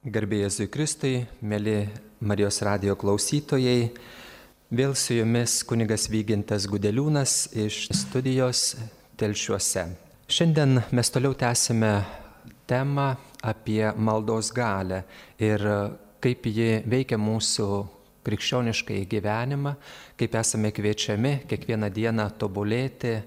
Garbė Jėzui Kristui, mėly Marijos radijo klausytojai, vėl su jumis kunigas Vygintas Gudeliūnas iš studijos Telšiuose. Šiandien mes toliau tęsime temą apie maldos galią ir kaip ji veikia mūsų krikščioniškai gyvenimą, kaip esame kviečiami kiekvieną dieną tobulėti,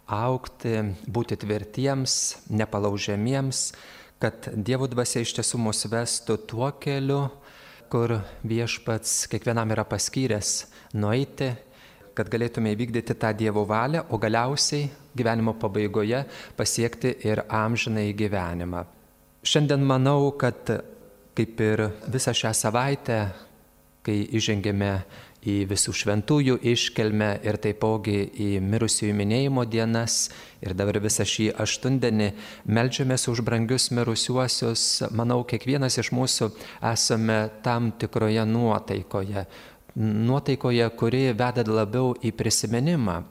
augti, būti tvirtiems, nepalaužiamiems, kad Dievo dvasia iš tiesų mus vestų tuo keliu, kur Viešpats kiekvienam yra paskyręs nueiti, kad galėtume įvykdyti tą Dievo valią, o galiausiai gyvenimo pabaigoje pasiekti ir amžinąjį gyvenimą. Šiandien manau, kad kaip ir visą šią savaitę, kai įžengėme į visų šventųjų iškilmę ir taipogi į mirusiųjų minėjimo dienas ir dabar visą šį aštundienį meldžiamės už brangius mirusiuosius, manau, kiekvienas iš mūsų esame tam tikroje nuotaikoje, kuri veda labiau į prisiminimą.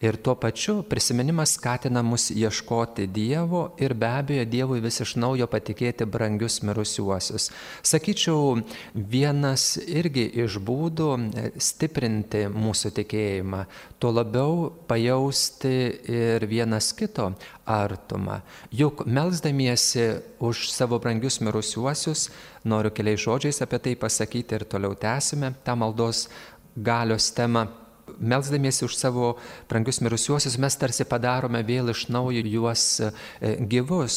Ir tuo pačiu prisiminimas skatina mus ieškoti Dievo ir be abejo Dievui vis iš naujo patikėti brangius mirusiuosius. Sakyčiau, vienas irgi iš būdų stiprinti mūsų tikėjimą, tuo labiau pajausti ir vienas kito artumą. Juk melsdamiesi už savo brangius mirusiuosius, noriu keliais žodžiais apie tai pasakyti ir toliau tęsime tą maldos galios temą. Melsdamiesi už savo brangius mirusiuosius, mes tarsi padarome vėl iš naujo juos gyvus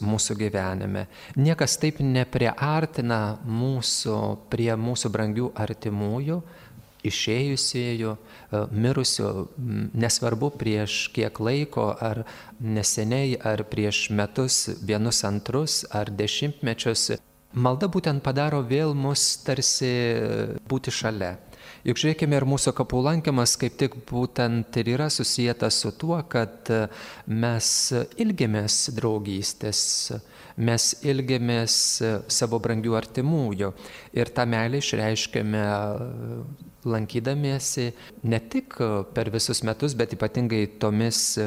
mūsų gyvenime. Niekas taip nepriartina mūsų prie mūsų brangių artimųjų, išėjusiųjų, mirusių, nesvarbu prieš kiek laiko, ar neseniai, ar prieš metus, vienus antrus, ar dešimtmečius. Malda būtent padaro vėl mus tarsi būti šalia. Juk žiūrėkime, ir mūsų kapų lankymas kaip tik būtent ir yra susijęs su tuo, kad mes ilgimės draugystės, mes ilgimės savo brangių artimųjų ir tą meilę išreiškėme lankydamiesi ne tik per visus metus, bet ypatingai tomis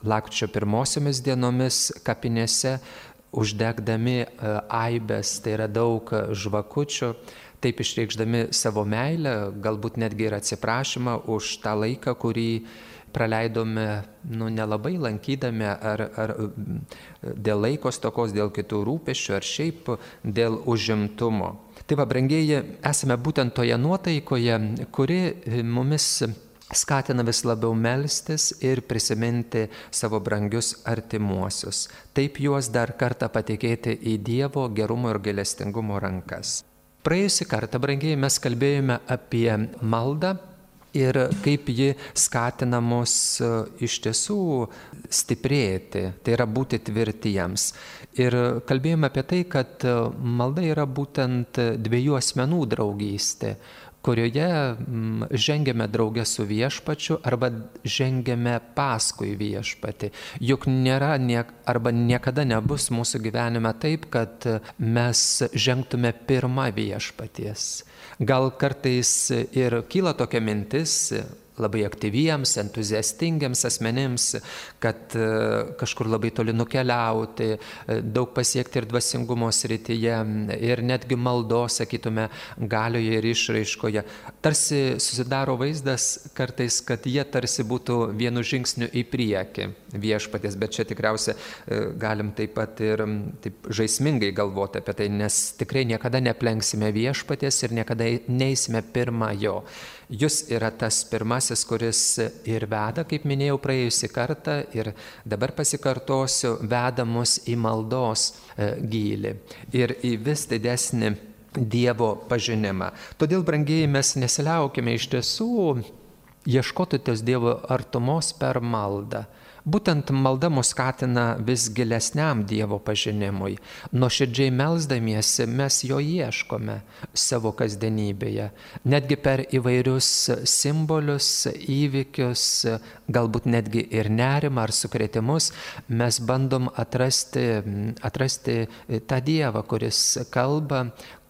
lapkričio pirmosiomis dienomis kapinėse, uždegdami aibes, tai yra daug žvakučių, taip išreikšdami savo meilę, galbūt netgi ir atsiprašymą už tą laiką, kurį praleidome nelabai lankydami, ar dėl laiko stokos, dėl kitų rūpesčių, ar šiaip dėl užimtumo. Tai va, brangieji, esame būtent toje nuotaikoje, kuri mumis skatina vis labiau melstis ir prisiminti savo brangius artimuosius. Taip juos dar kartą patikėti į Dievo gerumo ir gailestingumo rankas. Praėjusį kartą, brangieji, mes kalbėjome apie maldą ir kaip ji skatina mus iš tiesų stiprėti, tai yra būti tvirtiems. Ir kalbėjome apie tai, kad malda yra būtent dviejų asmenų draugystė, kurioje žengiame drauge su Viešpačiu arba žengiame paskui Viešpatį. Juk nėra arba niekada nebus mūsų gyvenime taip, kad mes žengtume pirma Viešpaties. Gal kartais ir kyla tokia mintis labai aktyviems, entuziastingiams asmenims, kad kažkur labai toli nukeliauti, daug pasiekti ir dvasingumo srityje, ir netgi maldos, sakytume, galioje ir išraiškoje. Tarsi susidaro vaizdas kartais, kad jie tarsi būtų vienu žingsniu į priekį Viešpaties, bet čia tikriausia galim taip pat ir taip žaismingai galvoti apie tai, nes tikrai niekada neplenksime Viešpaties ir niekada neisime pirma jo. Jis yra tas pirmasis, kuris ir veda, kaip minėjau praėjusį kartą, ir dabar pasikartosiu, veda mus į maldos gylį ir į vis didesnį Dievo pažinimą. Todėl, brangieji, mes nesiliaukime iš tiesų ieškoti tos Dievo artumos per maldą. Būtent malda mus skatina vis gilesniam Dievo pažinimui. Nuoširdžiai melsdamiesi mes jo ieškome savo kasdienybėje. Netgi per įvairius simbolius, įvykius, galbūt netgi ir nerimą ar sukrėtimus, mes bandom atrasti tą Dievą, kuris kalba,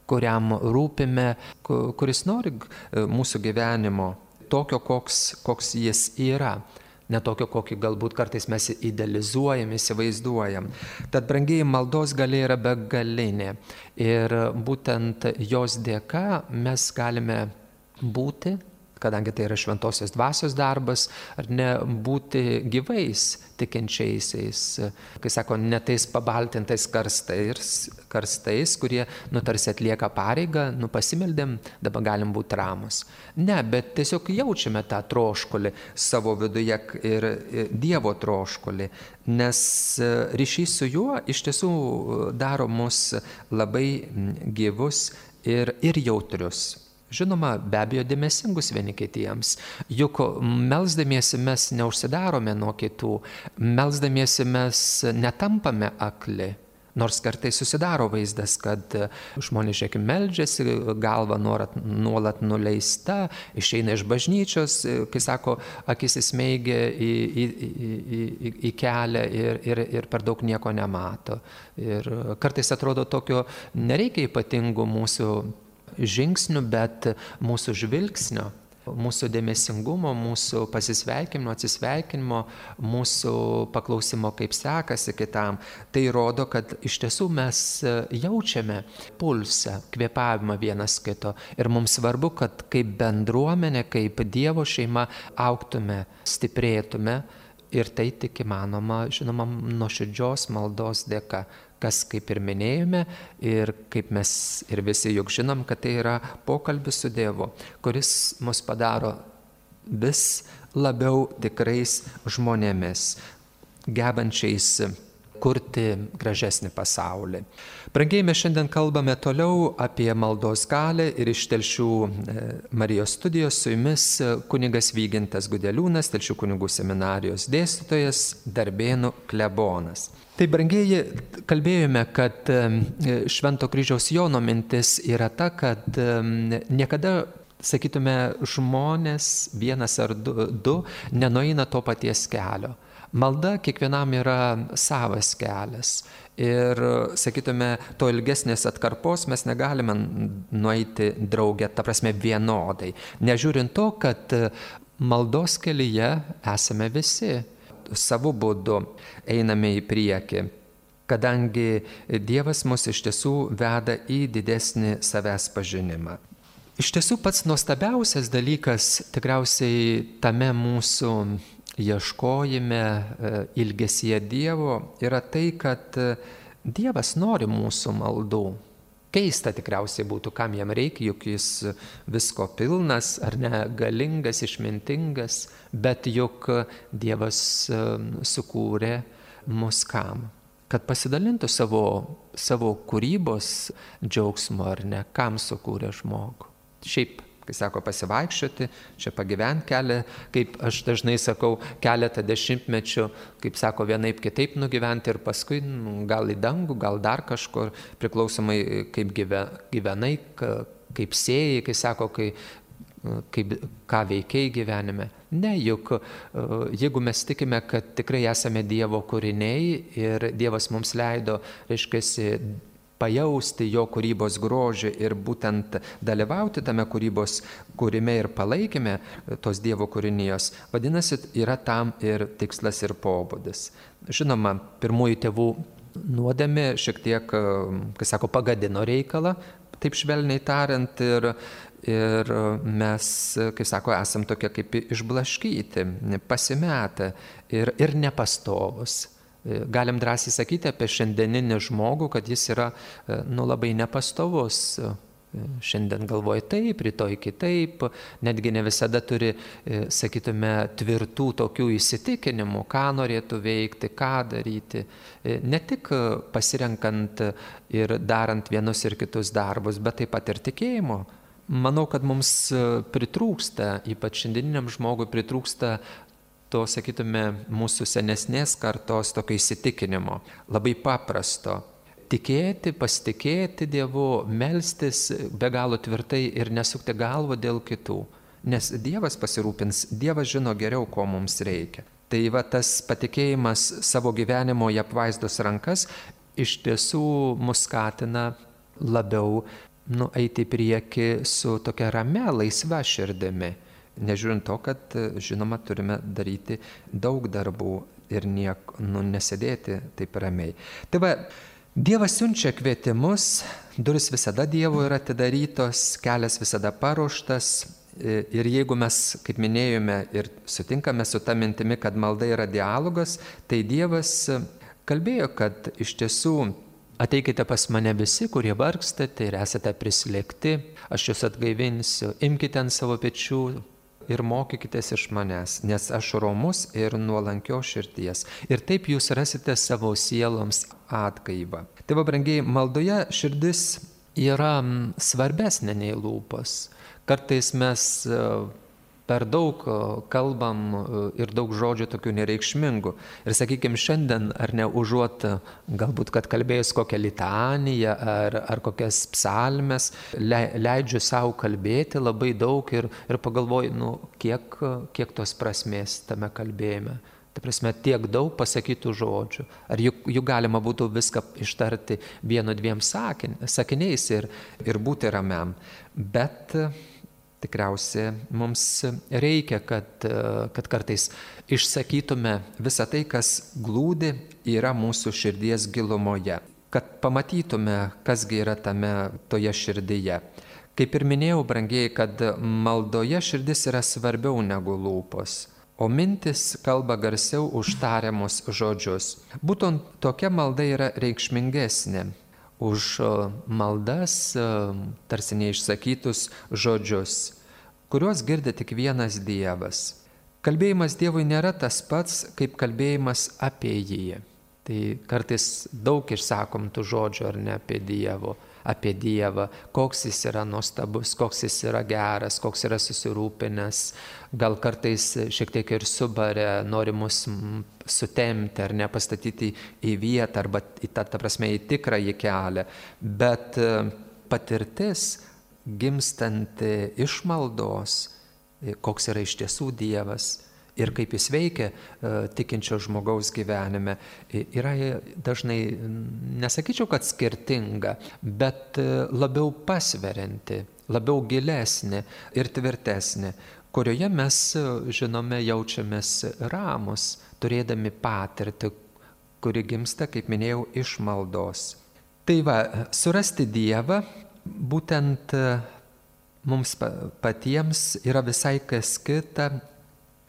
kuriam rūpime, kuris nori mūsų gyvenimo tokio, koks jis yra. ne tokio, kokį galbūt kartais mes idealizuojam, įsivaizduojam. Tad, brangieji, maldos galia yra begalinė ir būtent jos dėka mes galime būti, kadangi tai yra šventosios dvasios darbas, ar ne, būti gyvais tikinčiaisiais, kai sako, ne tais pabaltintais karstais, kurie, tarsi atlieka pareigą, pasimeldėm, dabar galim būti ramus. Ne, bet tiesiog jaučiame tą troškulį savo viduje ir Dievo troškulį, nes ryšys su juo iš tiesų daro mus labai gyvus ir jautrius. Žinoma, be abejo, dėmesingus vieni kitiems. Juk melsdamiesi mes neužsidarome nuo kitų, melsdamiesi mes netampame akli. Nors kartais susidaro vaizdas, kad žmonės, žiūrėkime, meldžiasi, galva nuolat nuleista, išeina iš bažnyčios, kai sako, akis įsmeigia į kelią ir per daug nieko nemato. Ir kartais atrodo tokio nereikia ypatingų mūsų žingsnių, bet mūsų žvilgsnio, mūsų dėmesingumo, mūsų pasisveikinimo, atsisveikinimo, mūsų paklausimo, kaip sekasi kitam. Tai rodo, kad iš tiesų mes jaučiame pulsą, kvėpavimą vienas kito. Ir mums svarbu, kad kaip bendruomenė, kaip Dievo šeima augtume, stiprėtume. Ir tai tik įmanoma, žinoma, nuoširdžios maldos dėka. Kas, kaip ir minėjome, ir kaip mes ir visi juk žinom, kad tai yra pokalbis su Dievu, kuris mus padaro vis labiau tikrais žmonėmis, gebančiais kurti gražesnį pasaulį. Brangieji, mes šiandien kalbame toliau apie maldos galią ir iš Telšių Marijos studijos su jumis kunigas Vygintas Gudeliūnas, Telšių kunigų seminarijos dėstytojas, Darbėnų klebonas. Tai, brangieji, kalbėjome, kad Švento kryžiaus Jono mintis yra ta, kad niekada, sakytume, žmonės vienas ar du nenueina to paties kelio. Malda kiekvienam yra savas kelias ir, sakytume, to ilgesnės atkarpos mes negalime nueiti drauge, ta prasme vienodai. Nežiūrint to, kad maldos kelyje esame visi. Savo būdu einame į priekį, kadangi Dievas mus iš tiesų veda į didesnį savęs pažinimą. Iš tiesų pats nuostabiausias dalykas tikriausiai tame mūsų ieškojime, ilgesyje Dievo yra tai, kad Dievas nori mūsų maldų. Keista tikriausiai būtų, kam jam reikia, juk jis visko pilnas, ar ne, galingas, išmintingas, bet juk Dievas sukūrė mus kam? Kad pasidalintų savo kūrybos džiaugsmu, ar ne, kam sukūrė žmogų. Šiaip, kai sako pasivaikščioti, čia pagyventi kelią, kaip aš dažnai sakau, keletą dešimtmečių, kaip sako, vienaip kitaip nugyventi ir paskui gal į dangų, gal dar kažkur, priklausomai kaip gyvenai, kaip sėjai, kai sako, ką veikiai gyvenime. Ne, juk jeigu mes tikime, kad tikrai esame Dievo kūriniai ir Dievas mums leido, reiškiasi, pajausti jo kūrybos grožį ir būtent dalyvauti tame kūrybos kūrime ir palaikime tos Dievo kūrinijos, vadinasi, yra tam ir tikslas ir pobūdis. Žinoma, pirmųjų tėvų nuodėmė šiek tiek, kai sako, pagadino reikalą, taip švelniai tariant, ir mes, kai sako, esam tokie kaip išblaškyti, pasimetę ir nepastovus. Galim drąsiai sakyti apie šiandieninį žmogų, kad jis yra labai nepastovus. Šiandien galvoja taip, rytoj kitaip, netgi ne visada turi, sakytume, tvirtų tokių įsitikinimų, ką norėtų veikti, ką daryti. Ne tik pasirenkant ir darant vienus ir kitus darbus, bet taip pat ir tikėjimo. Manau, kad mums pritrūksta, ypač šiandieniniam žmogui pritrūksta to, sakytume, mūsų senesnės kartos tokio įsitikinimo, labai paprasto. Tikėti, pasitikėti Dievu, melstis be galo tvirtai ir nesukti galvą dėl kitų. Nes Dievas pasirūpins, Dievas žino geriau, ko mums reikia. Tai va tas patikėjimas savo gyvenimo į apvaizdos rankas iš tiesų mus skatina labiau eiti į priekį su tokia ramia, laisva širdimi. Nežiūrint to, kad, žinoma, turime daryti daug darbų ir nesėdėti taip ramiai. Tai va, Dievas siunčia kvietimus, durys visada Dievo yra atidarytos, kelias visada paruoštas. Ir jeigu mes, kaip minėjome, ir sutinkame su ta mintimi, kad malda yra dialogas, tai Dievas kalbėjo, kad iš tiesų ateikite pas mane visi, kurie vargstate ir esate prislėgti, aš jūs atgaivinsiu, imkite ant savo pečių ir mokykitės iš manęs, nes aš romus ir nuolankios širdies. Ir taip jūs rasite savo sieloms atgaivą. Tai va, brangieji, maldoje širdis yra svarbesnė nei lūpos. Kartais mes per daug kalbam ir daug žodžių tokių nereikšmingų. Ir sakykime, šiandien, ar ne, užuot galbūt, kad kalbėjus kokią litaniją ar kokias psalmes, leidžiu savo kalbėti labai daug ir pagalvoju, kiek tos prasmės tame kalbėjime. Tai prasme, tiek daug pasakytų žodžių. Ar juk galima būtų viską ištarti 1-2 sakiniais ir būti ramiam. Bet tikriausiai mums reikia, kad kartais išsakytume visą tai, kas glūdi yra mūsų širdies gilumoje. Kad pamatytume, kasgi yra toje širdyje. Kaip ir minėjau, brangieji, kad maldoje širdis yra svarbiau negu lūpos. O mintis kalba garsiau už tariamus žodžius. Būtent tokia malda yra reikšmingesnė už maldas, tarsi neišsakytus žodžius, kuriuos girdi tik vienas Dievas. Kalbėjimas Dievui nėra tas pats, kaip kalbėjimas apie jį. Tai kartais daug išsakom tų žodžių, ar ne, apie Dievą, koks jis yra nuostabus, koks jis yra geras, koks yra susirūpinęs, gal kartais šiek tiek ir subarė, nori mus sutemti ar nepastatyti į vietą arba ta prasme į tikrąjį kelią, bet patirtis gimstanti iš maldos, koks yra iš tiesų Dievas ir kaip jis veikia tikinčio žmogaus gyvenime, yra dažnai, nesakyčiau, kad skirtinga, bet labiau pasverianti, labiau gilesnė ir tvirtesnė, kurioje mes, žinome, jaučiamės ramus, turėdami patirtį, kuri gimsta, kaip minėjau, iš maldos. Tai va, surasti Dievą būtent mums patiems yra visai kas kita,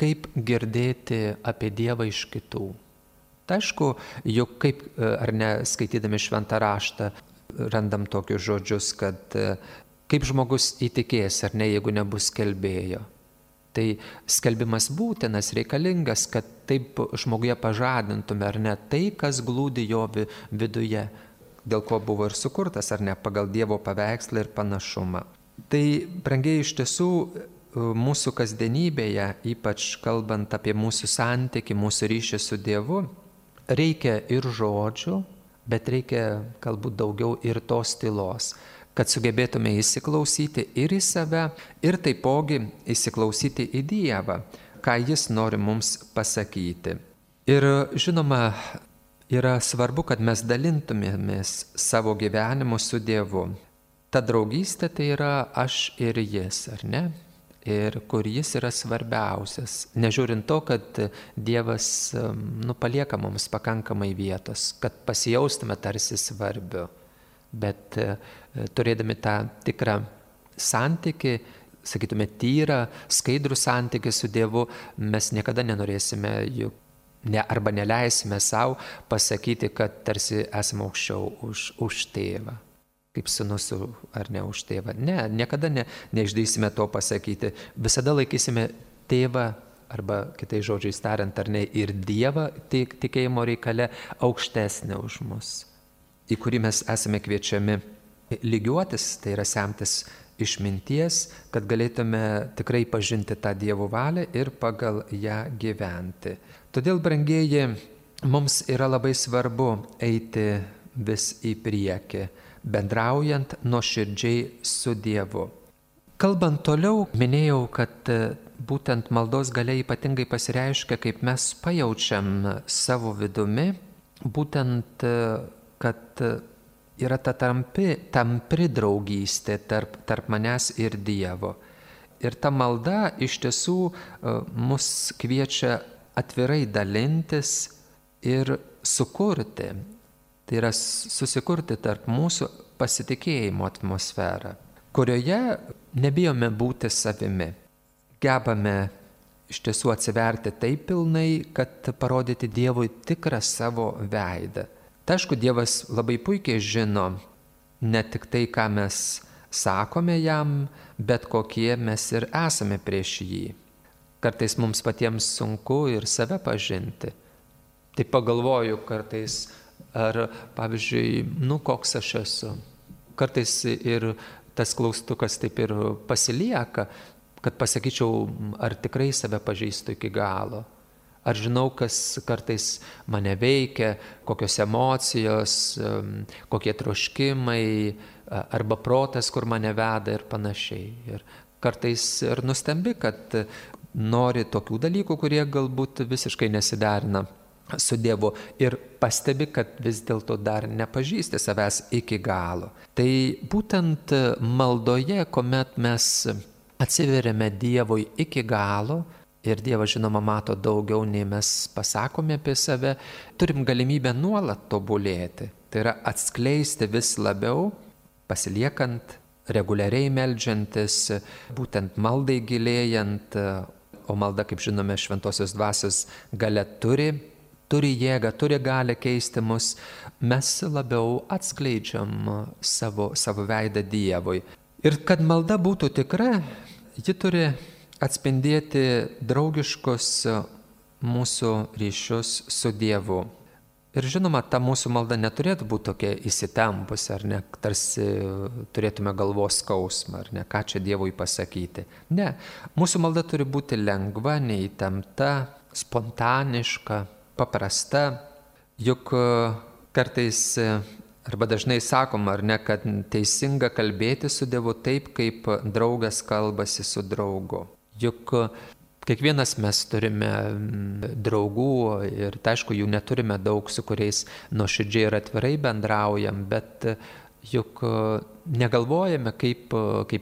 kaip girdėti apie Dievą iš kitų. Tai aišku, juk kaip, ar ne, skaitydami šventą raštą, randam tokius žodžius, kad kaip žmogus įtikės, ar ne, jeigu nebus skelbėjo. Tai skelbimas būtinas, reikalingas, kad taip žmoguje pažadintume, ar ne, tai, kas glūdi jo viduje, dėl ko buvo ir sukurtas, ar ne, pagal Dievo paveikslą ir panašumą. Tai, brangieji, iš tiesų, mūsų kasdienybėje, ypač kalbant apie mūsų santykį, mūsų ryšį su Dievu, reikia ir žodžių, bet reikia galbūt daugiau ir tos tylos, kad sugebėtume įsiklausyti ir į save, ir taipogi įsiklausyti į Dievą, ką Jis nori mums pasakyti. Ir žinoma, yra svarbu, kad mes dalintumėmės savo gyvenimu su Dievu. Ta draugystė tai yra aš ir Jis, ar ne? Ir kur Jis yra svarbiausias, nežiūrint to, kad Dievas palieka mums pakankamai vietos, kad pasijaustume tarsi svarbiu, bet turėdami tą tikrą santykį, sakytume, tyrą, skaidrų santykį su Dievu, mes niekada nenorėsime arba neleisime savo pasakyti, kad tarsi esame aukščiau už tėvą. Kaip sūnus ar ne už tėvą. Ne, niekada neišdrįsime to pasakyti. Visada laikysime tėvą, arba kitais žodžiais tariant, ar ne, ir Dievą tikėjimo reikale aukštesnė už mus, į kurį mes esame kviečiami lygiuotis, tai yra semtis išminties, kad galėtume tikrai pažinti tą Dievo valią ir pagal ją gyventi. Todėl, brangieji, mums yra labai svarbu eiti vis į priekį, bendraujant nuoširdžiai su Dievu. Kalbant toliau, minėjau, kad būtent maldos galia ypatingai pasireiškia, kaip mes pajaučiam savo vidumi, būtent, kad yra ta tampri draugystė tarp manęs ir Dievo. Ir ta malda iš tiesų mus kviečia atvirai dalintis ir sukurti. Tai yra susikurti tarp mūsų pasitikėjimo atmosferą, kurioje nebijome būti savimi. Gebame iš tiesų atsiverti taip pilnai, kad parodyti Dievui tikrą savo veidą. Tai aišku, Dievas labai puikiai žino ne tik tai, ką mes sakome jam, bet kokie mes ir esame prieš jį. Kartais mums patiems sunku ir save pažinti. Tai pagalvoju kartais, ar pavyzdžiui, koks aš esu. Kartais ir tas klaustukas taip ir pasilieka, kad pasakyčiau, ar tikrai save pažįstu iki galo. Ar žinau, kas kartais mane veikia, kokios emocijos, kokie troškimai, arba protas, kur mane veda ir panašiai. Ir kartais ir nustembi, kad nori tokių dalykų, kurie galbūt visiškai nesiderina su Dievu ir pastebi, kad vis dėlto dar nepažįsti savęs iki galo. Tai būtent maldoje, kuomet mes atsiveriame Dievui iki galo, ir Dievas, žinoma, mato daugiau, nei mes pasakome apie save, turim galimybę nuolat tobulėti. Tai yra atskleisti vis labiau, pasiliekant, reguliariai meldžiantis, būtent maldai gilėjant, o malda, kaip žinome, šventosios dvasios galia turi jėgą, turi galią keisti mus, mes labiau atskleidžiam savo veidą Dievui. Ir kad malda būtų tikra, ji turi atspindėti draugiškus mūsų ryšius su Dievu. Ir žinoma, ta mūsų malda neturėtų būti tokia įsitempusi, ar ne, tarsi turėtume galvos skausmą, ar ne, ką čia Dievui pasakyti. Ne, mūsų malda turi būti lengva, neįtempta, spontaniška, paprasta, juk kartais arba dažnai sakom, ar ne, kad teisinga kalbėti su Dievu taip, kaip draugas kalbasi su draugu. Juk kiekvienas mes turime draugų ir tai aišku, jų neturime daug, su kuriais nuoširdžiai ir atvirai bendraujam, bet juk negalvojame, kaip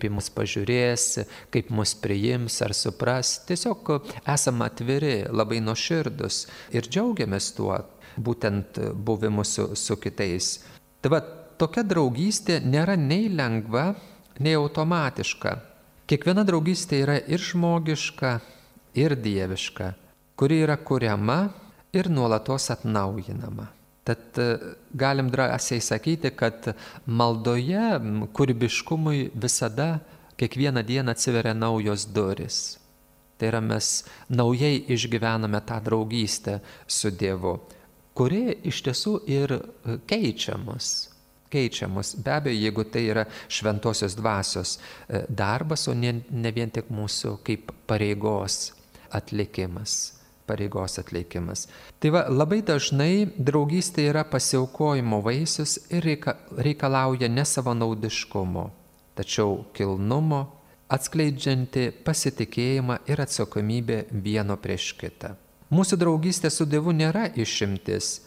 į mus pažiūrės, kaip mus priims ar supras. Tiesiog esame atviri, labai nuoširdus ir džiaugiamės tuo, būtent buvimu su kitais. Tai va, tokia draugystė nėra nei lengva, nei automatiška. Kiekviena draugystė yra ir žmogiška, ir dieviška, kuri yra kuriama ir nuolatos atnaujinama. Tad galim drąsiai sakyti, kad maldoje kūrybiškumui visada kiekvieną dieną atsiveria naujos duris. Tai yra, mes naujai išgyvename tą draugystę su Dievu, kuri iš tiesų ir keičia mus. Be abejo, jeigu tai yra šventosios dvasios darbas, o ne vien tik mūsų kaip pareigos atlikimas. Tai va, labai dažnai draugystė yra pasiaukojimo vaisius ir reikalauja ne savanaudiškumo, tačiau kilnumo, atskleidžianti pasitikėjimą ir atsakomybę vieno prieš kitą. Mūsų draugystė su Dievu nėra išimtis,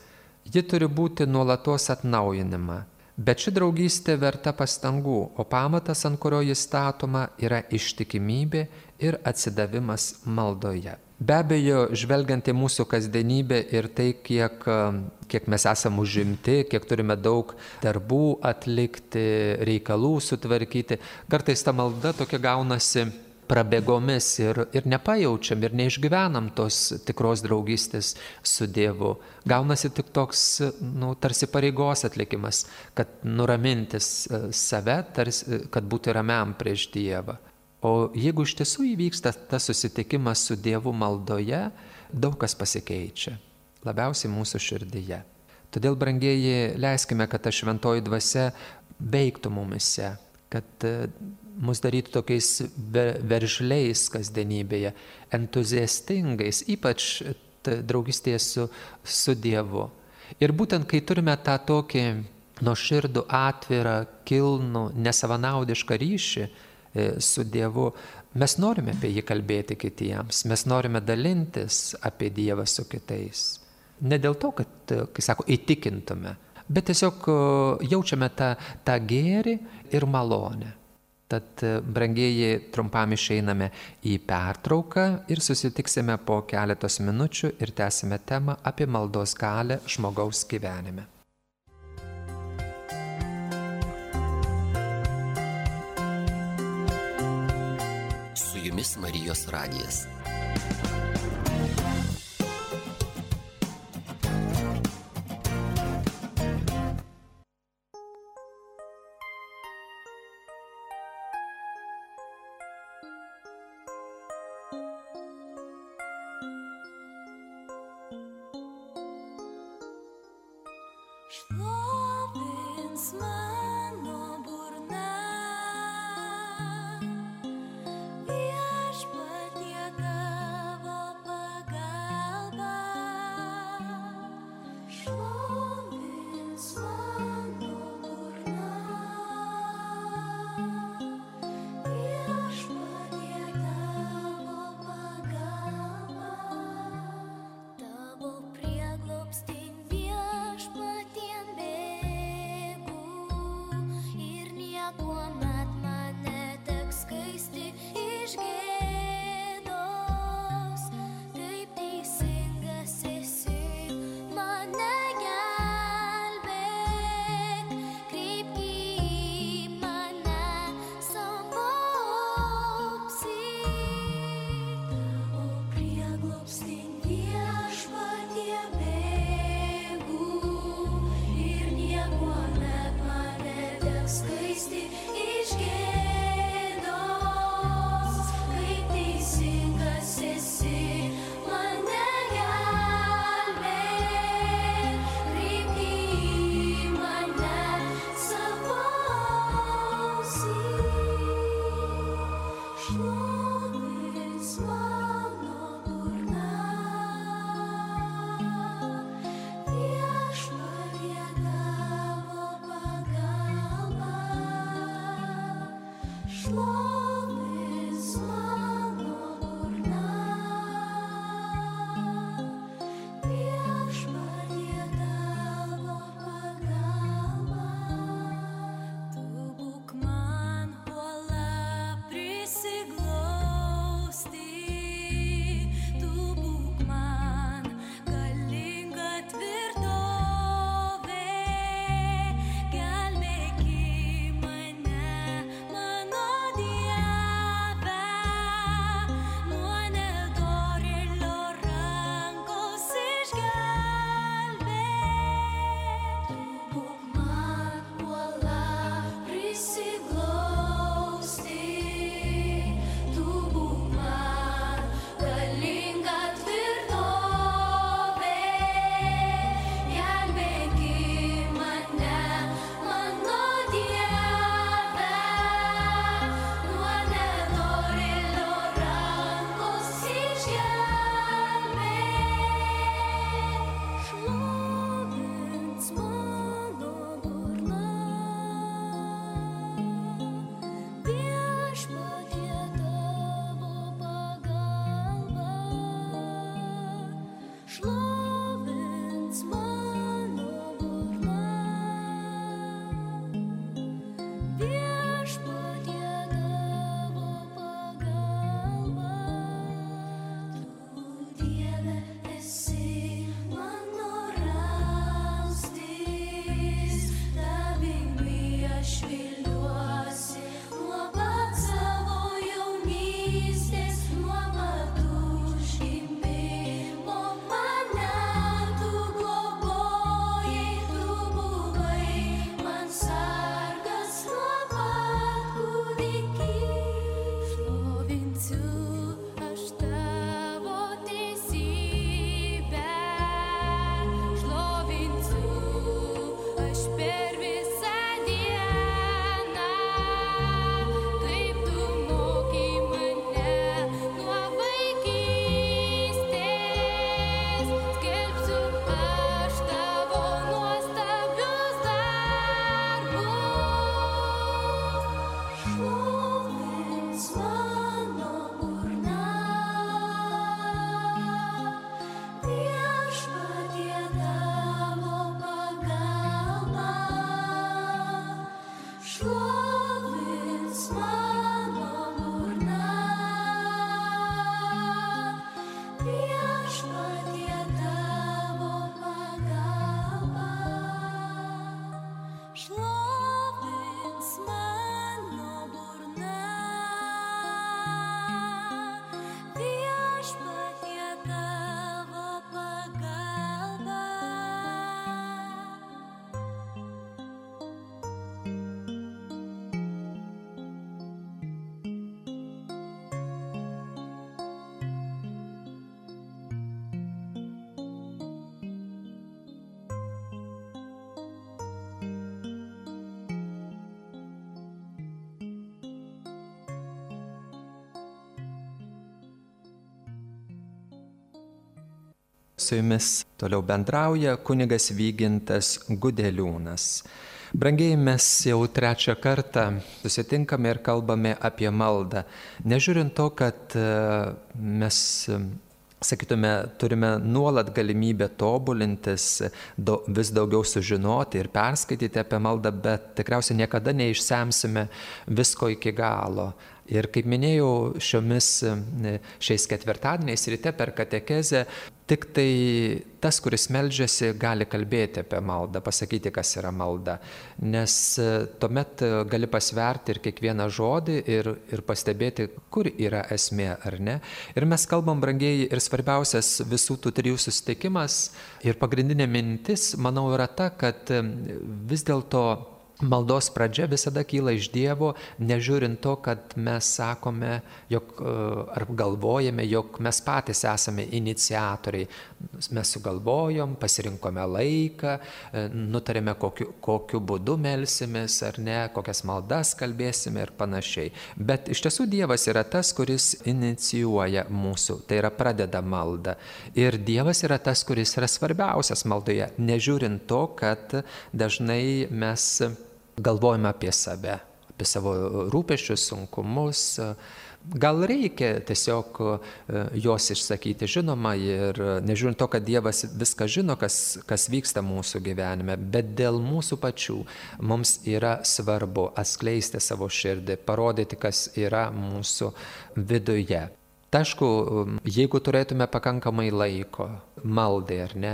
ji turi būti nuolatos atnaujinama. Bet ši draugystė verta pastangų, o pamatas, ant kurio jis statoma, yra ištikimybė ir atsidavimas maldoje. Be abejo, žvelgiant į mūsų kasdienybę ir tai, kiek mes esame užimti, kiek turime daug darbų atlikti, reikalų sutvarkyti, kartais ta malda tokia gaunasi prabėgomis ir nepajaučiam ir neišgyvenam tos tikros draugystės su Dievu. Gaunasi tik toks, tarsi pareigos atlikimas, kad nuramintis save, tarsi, kad būti ramiam prieš Dievą. O jeigu iš tiesų įvyksta tas susitikimas su Dievu maldoje, daug kas pasikeičia, labiausiai mūsų širdyje. Todėl, brangieji, leiskime, kad ta šventoji dvasia veiktų mumise, kad mus darytų tokiais veržliais kasdienybėje, entuziastingais, ypač draugystėje su Dievu. Ir būtent kai turime tą tokį nuoširdų, atvirą, kilnų, nesavanaudišką ryšį su Dievu, mes norime apie jį kalbėti kitiems, mes norime dalintis apie Dievą su kitais. Ne dėl to, kad, kai sako, įtikintume, bet tiesiog jaučiame tą gėrį ir malonę. Tad, brangieji, trumpam išeiname į pertrauką ir susitiksime po keletos minučių ir tęsime temą apie maldos galią žmogaus gyvenime. Su jumis Marijos radijas. Šlovins mano burna, Viešpatie tavo pagalba. Šlovins mano burna, Viešpatie tavo pagalba. Tavo prieglobstin viešpatien bėgu ir niekuomet man neteks skaisti iš gėdos. Taip teisingas esi, mane gelbėk, kreipk į mane savo ausis. O prieglobstin viešpatie bėgu ir niekuomet man neteks skaisti iš gėdos. Kaip teisingas esi, mane gelbėk, kreipk į mane savo ausis. Šlovins mano burna, Viešpatie tavo pagalba. Šlovins mano burna, Viešpatie tavo pagalba. Tu būk man uola prisiglausti, tu būk man galinga tvirtovė, gelbėk mane, mano Dieve. Su jumis toliau bendrauja kunigas Vygintas Gudeliūnas. Brangieji, mes jau trečią kartą susitinkame ir kalbame apie maldą. Nežiūrint to, kad mes, sakytume, turime nuolat galimybę tobulintis, vis daugiau sužinoti ir perskaityti apie maldą, bet tikriausiai niekada neišsemsime visko iki galo. Ir kaip minėjau, šiais ketvirtadieniais ryte per katekezę, tik tai tas, kuris meldžiasi, gali kalbėti apie maldą, pasakyti, kas yra malda. Nes tuomet gali pasverti ir kiekvieną žodį ir pastebėti, kur yra esmė ar ne. Ir mes kalbam, brangieji, ir svarbiausias visų tų trijų susitikimas ir pagrindinė mintis, manau, yra ta, kad vis dėlto maldos pradžia visada kyla iš Dievo, nežiūrint to, kad mes sakome, ar galvojame, jog mes patys esame iniciatoriai. Mes sugalvojom, pasirinkome laiką, nutarėme, kokiu būdu melsimės ar ne, kokias maldas kalbėsime ir panašiai. Bet iš tiesų Dievas yra tas, kuris inicijuoja mūsų, tai yra pradeda maldą. Ir Dievas yra tas, kuris yra svarbiausias maldoje, nežiūrint to, kad dažnai mes galvojame apie save, apie savo rūpesčius, sunkumus. Gal reikia tiesiog juos išsakyti, žinoma, ir nežiūrint to, kad Dievas viską žino, kas vyksta mūsų gyvenime, bet dėl mūsų pačių mums yra svarbu atskleisti savo širdį, parodyti, kas yra mūsų viduje. Aišku, jeigu turėtume pakankamai laiko maldai, ar ne,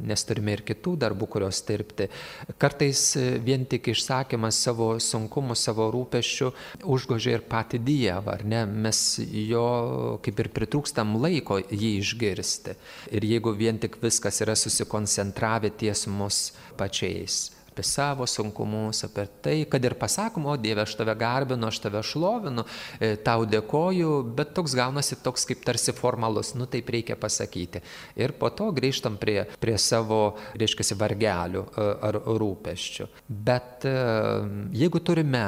nes turime ir kitų darbų, kurios dirbti, kartais vien tik išsakymas savo sunkumų, savo rūpesčių užgožia ir patį Dievą, ar ne, mes jo kaip ir pritrūkstam laiko jį išgirsti. Ir jeigu vien tik viskas yra susikoncentravę ties mus pačiais, apie savo sunkumus, apie tai, kad ir pasakom, o Dieve, aš tave garbinu, aš tave šlovinu, tau dėkoju, bet toks gaunasi toks kaip tarsi formalus, taip reikia pasakyti. Ir po to grįžtam prie savo, reiškiasi, vargelių ar rūpesčių. Bet jeigu turime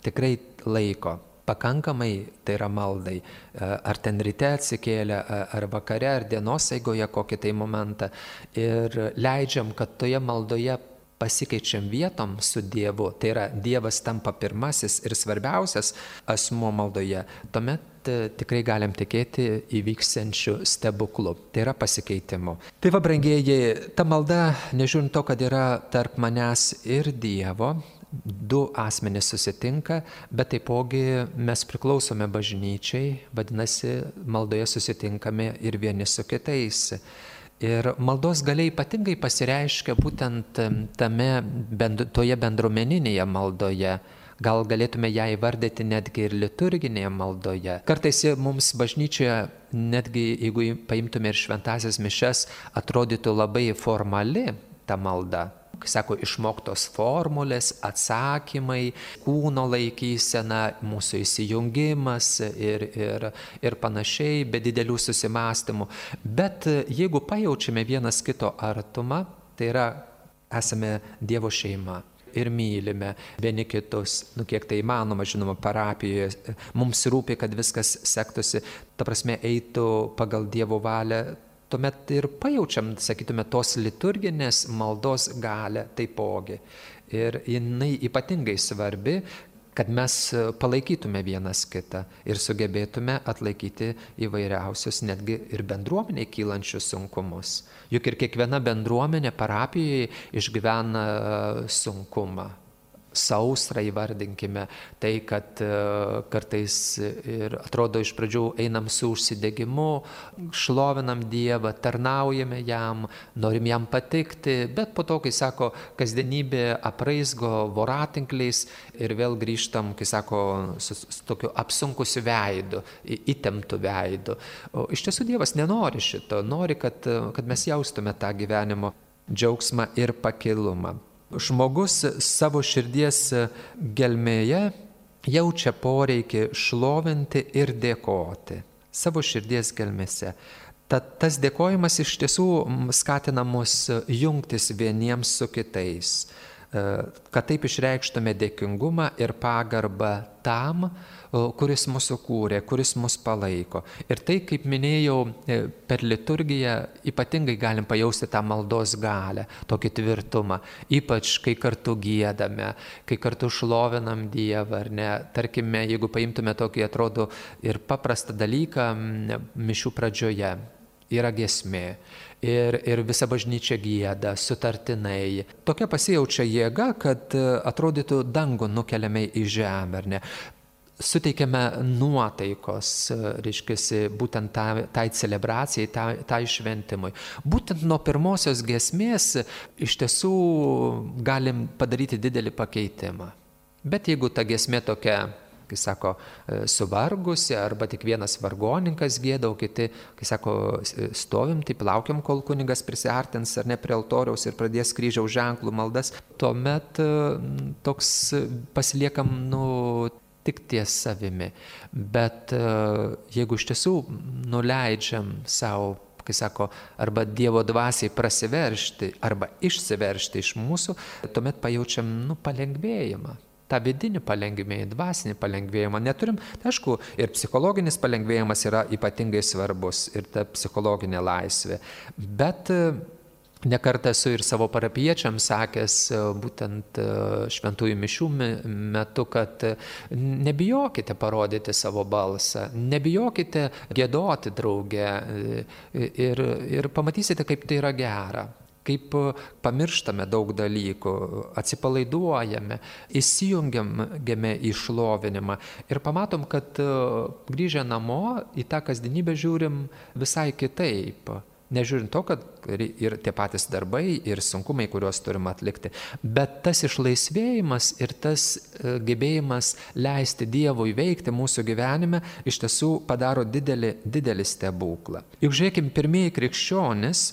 tikrai laiko, pakankamai, tai yra maldai, ar ten ryte atsikėlę, ar vakare, ar dienos eigoje kokį tai momentą, ir leidžiam, kad toje maldoje pasikeičiam vietom su Dievu, tai yra Dievas tampa pirmasis ir svarbiausias asmuo maldoje, tuomet tikrai galim tikėti įvyksiančių stebuklų, tai yra pasikeitimu. Tai va, brangieji, ta malda, nežiūrint to, kad yra tarp manęs ir Dievo, du asmenys susitinka, bet taipogi mes priklausome bažnyčiai, vadinasi, maldoje susitinkame ir vieni su kitais. Ir maldos galia ypatingai pasireiškia būtent toje bendruomeninėje maldoje. Gal galėtume ją įvardyti netgi ir liturginėje maldoje. Kartais mums bažnyčioje, netgi jeigu paimtume ir šventąsias mišias, atrodytų labai formali ta malda. Sako, išmoktos formulės, atsakymai, kūno laikysena, mūsų įsijungimas ir panašiai, be didelių susimastymų. Bet jeigu pajaučiame vienas kito artumą, tai yra esame Dievo šeima ir mylime vieni kitus, kiek tai įmanoma, žinoma, parapijoje. Mums rūpi, kad viskas sektųsi, ta prasme, eitų pagal Dievo valią. Tuomet ir pajaučiam, sakytume, tos liturginės maldos galią taipogi. Ir jinai ypatingai svarbi, kad mes palaikytume vienas kitą ir sugebėtume atlaikyti įvairiausius, netgi ir bendruomeniai kylančius sunkumus. Juk ir kiekviena bendruomenė parapijoje išgyvena sunkumą. Sausrą įvardinkime, tai, kad kartais ir atrodo iš pradžių einam su užsidegimu, šlovinam Dievą, tarnaujame jam, norim jam patikti, bet po to, kai sako, kasdienybė apraizgo voratinkliais ir vėl grįžtam, kai sako, su tokiu apsunkusiu veidu, įtemptu veidu. O iš tiesų Dievas nenori šito, nori, kad mes jaustume tą gyvenimo džiaugsmą ir pakilumą. Žmogus savo širdies gelmėje jaučia poreikį šlovinti ir dėkoti. Savo širdies gelmėse. Tad tas dėkojimas iš tiesų skatina mus jungtis vieniems su kitais, kad taip išreikštume dėkingumą ir pagarbą tam, kuris mūsų kūrė, kuris mus palaiko. Ir tai, kaip minėjau, per liturgiją ypatingai galim pajausti tą maldos galią, tokį tvirtumą, ypač kai kartu giedame, kai kartu šlovinam Dievą, ar ne. Tarkime, jeigu paimtume tokį, atrodo, ir paprastą dalyką mišių pradžioje. Yra giesmė ir visa bažnyčia gieda, sutartinai. Tokia pasijaučia jėga, kad atrodytų dangų nukeliame į žemę, ar ne. Suteikiame nuotaikos, reiškia, būtent tai celebracijai, tai šventimui. Būtent nuo pirmosios giesmės iš tiesų galim padaryti didelį pakeitimą. Bet jeigu ta giesmė tokia, kai sako, suvargusi, arba tik vienas vargonininkas gieda, o kiti, kai sako, stovim, taip laukiam, kol kunigas prisiartins ar ne prie altoriaus ir pradės kryžiaus ženklų maldas, tuomet toks pasiliekam, tik ties savimi. Bet jeigu iš tiesų nuleidžiam savo, kai sako, arba Dievo dvasiai prasiveršti, arba išsiveršti iš mūsų, tuomet pajaučiam, palengvėjimą. tą vidinį palengvėjimą, dvasinį palengvėjimą neturim. Tai aišku, ir psichologinis palengvėjimas yra ypatingai svarbus, ir ta psichologinė laisvė. Bet nekartą esu ir savo parapiečiams sakęs, būtent šventųjų mišių metu, kad nebijokite parodyti savo balsą, nebijokite giedoti drauge ir pamatysite, kaip tai yra gera. Kaip pamirštame daug dalykų, atsipalaiduojame, įsijungiame į šlovinimą ir pamatom, kad grįžę namo į tą kasdienybę žiūrim visai kitaip. Nežiūrint to, kad ir tie patys darbai, ir sunkumai, kuriuos turim atlikti, bet tas išlaisvėjimas ir tas gebėjimas leisti Dievui veikti mūsų gyvenime iš tiesų padaro didelį stebuklą. Juk žiūrėkim, pirmieji krikščionys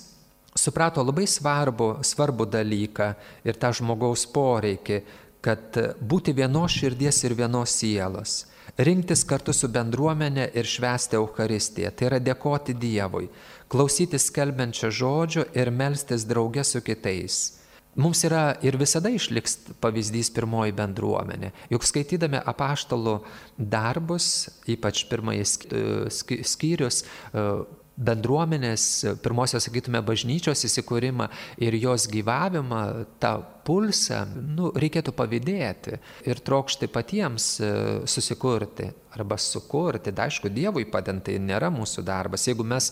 suprato labai svarbų dalyką ir tą žmogaus poreikį, kad būti vienos širdies ir vienos sielos, rinktis kartu su bendruomenė ir švęsti Eucharistiją, tai yra dėkoti Dievui, klausytis skelbiančio žodžio ir melstis drauge su kitais. Mums yra ir visada išliks pavyzdys pirmoji bendruomenė. Juk skaitydami apaštalų darbus, ypač pirmąjį skyrius, bendruomenės, pirmosios, sakytume, bažnyčios įsikūrimą ir jos gyvavimą, tą pulsą, reikėtų pavydėti ir trokšti patiems susikurti arba sukurti. Da, aišku, Dievui padedant, tai nėra mūsų darbas. Jeigu mes,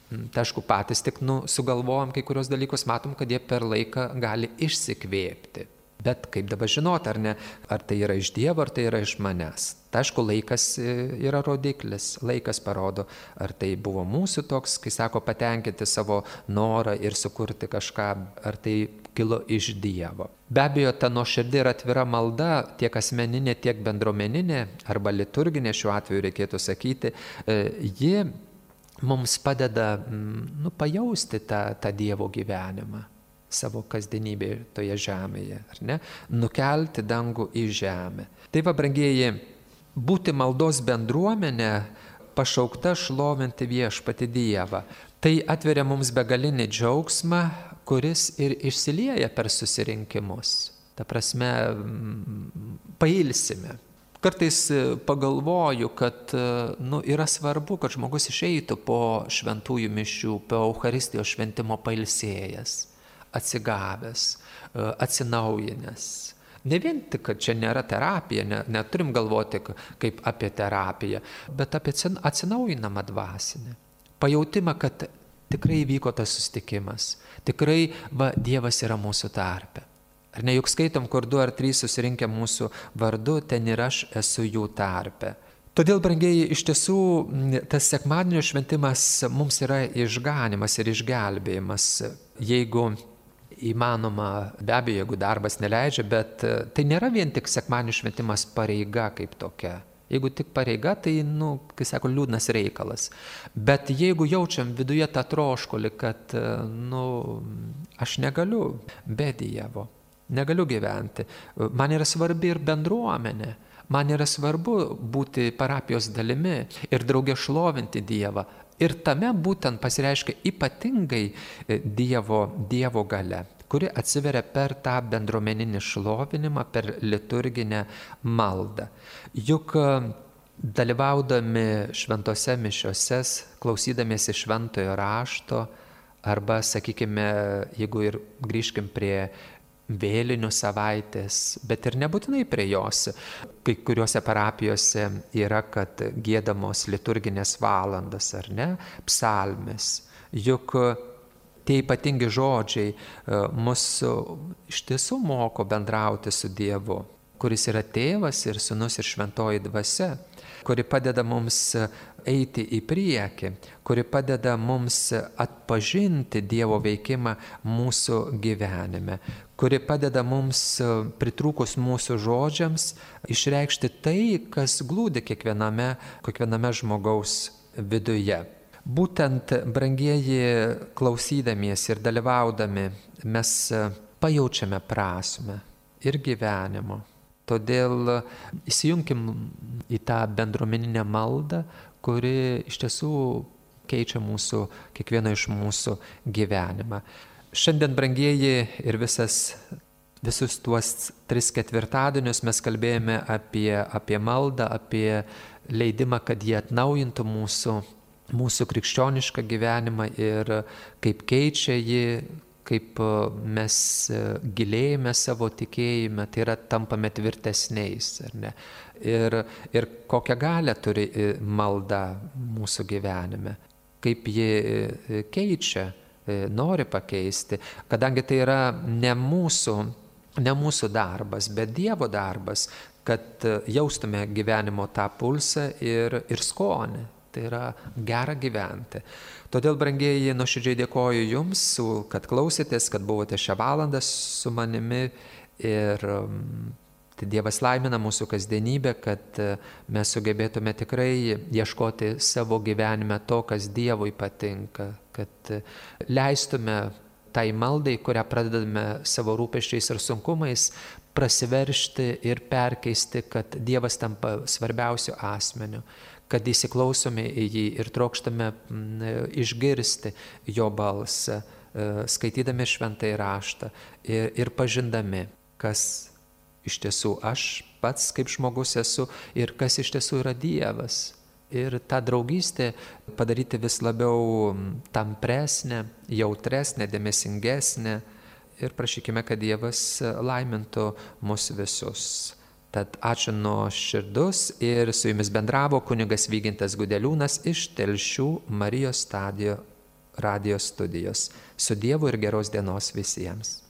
aišku, patys tik sugalvojam kai kurios dalykus, matom, kad jie per laiką gali išsikvėpti. Bet kaip dabar žinoti, ar ne, ar tai yra iš Dievo, ar tai yra iš manęs. Tai aišku, laikas yra rodiklis, laikas parodo, ar tai buvo mūsų toks, kai sako, patenkinti savo norą ir sukurti kažką, ar tai kilo iš Dievo. Be abejo, ta nuoširdi ir atvira malda, tiek asmeninė, tiek bendruomeninė, arba liturginė šiuo atveju reikėtų sakyti, ji mums padeda pajausti tą Dievo gyvenimą savo kasdienybėje toje žemėje, ar ne? Nukelti dangų į žemę. Tai va, brangieji, būti maldos bendruomenė, pašaukta šlovinti viešpatį Dievą. Tai atveria mums begalinį džiaugsmą, kuris ir išsilieja per susirinkimus. Ta prasme, pailsime. Kartais pagalvoju, kad yra svarbu, kad žmogus išeitų po šventųjų mišių, po Eucharistijos šventimo pailsėjęs, atsigavęs, atsinaujinęs. Ne vien tik, kad čia nėra terapija, neturim galvoti kaip apie terapiją, bet apie atsinaujinamą dvasinę. Pajautimą, kad tikrai vyko tas susitikimas, tikrai Dievas yra mūsų tarpe. Ar ne, juk skaitom, kur 2 ar 3 susirinkę mūsų vardu, ten ir aš esu jų tarpe. Todėl, brangieji, iš tiesų tas sekmadienio šventimas mums yra išganimas ir išgelbėjimas, jeigu įmanoma, be abejo, jeigu darbas neleidžia, bet tai nėra vien tik sekmadienio šventimas pareiga kaip tokia. Jeigu tik pareiga, tai, kai sako, liūdnas reikalas. Bet jeigu jaučiam viduje tą troškulį, kad, aš negaliu be Dievo, negaliu gyventi, man yra svarbi ir bendruomenė, man yra svarbu būti parapijos dalimi ir drauge šlovinti Dievą. Ir tame būtent pasireiškia ypatingai Dievo galia. kuri atsiveria per tą bendruomeninį šlovinimą, per liturginę maldą. Juk dalyvaudami šventose mišiose, klausydamiesi šventojo rašto, arba, sakykime, jeigu ir grįžkim prie vėlinių savaitės, bet ir nebūtinai prie jos. Kai kuriuose parapijose yra, kad giedamos liturginės valandas, ar ne, psalmės. Juk tie ypatingi žodžiai mus iš tiesų moko bendrauti su Dievu, kuris yra tėvas ir sūnus ir šventoji dvasia, kuri padeda mums eiti į priekį, kuri padeda mums atpažinti Dievo veikimą mūsų gyvenime, kuri padeda mums, pritrūkus mūsų žodžiams, išreikšti tai, kas glūdi kiekviename žmogaus viduje. Būtent, brangieji, klausydamiesi ir dalyvaudami, mes pajaučiame prasmę ir gyvenimo. Todėl įsijunkim į tą bendruomeninę maldą, kuri iš tiesų keičia kiekvieno iš mūsų gyvenimą. Šiandien, brangieji, ir visus tuos 3 ketvirtadienius mes kalbėjome apie maldą, apie leidimą, kad jie atnaujintų mūsų krikščionišką gyvenimą ir kaip keičia jį, kaip mes gilėjame savo tikėjime, tai yra tampame tvirtesniais, ar ne? Ir kokią galią turi malda mūsų gyvenime, kaip ji keičia, nori pakeisti, kadangi tai yra ne mūsų darbas, bet Dievo darbas, kad jaustume gyvenimo tą pulsą ir skonį. Tai yra gera gyventi. Todėl, brangieji, nuoširdžiai dėkoju Jums, kad klausėtės, kad buvote šią valandą su manimi ir tai Dievas laimina mūsų kasdienybę, kad mes sugebėtume tikrai ieškoti savo gyvenime to, kas Dievui patinka, kad leistume tai maldai, kurią pradedame savo rūpesčiais ir sunkumais, prasiveršti ir perkeisti, kad Dievas tampa svarbiausiu asmeniu, kad įsiklausome į jį ir trokštame išgirsti jo balsą, skaitydami šventąjį raštą ir pažindami, kas iš tiesų aš pats kaip žmogus esu ir kas iš tiesų yra Dievas. Ir tą draugystę padaryti vis labiau tampresnę, jautresnę, dėmesingesnę ir prašykime, kad Dievas laimintų mus visus. Tad ačiū nuoširdus ir su Jumis bendravo kunigas Vygintas Gudeliūnas iš Telšių Marijos radijo studijos. Su Dievu ir geros dienos visiems.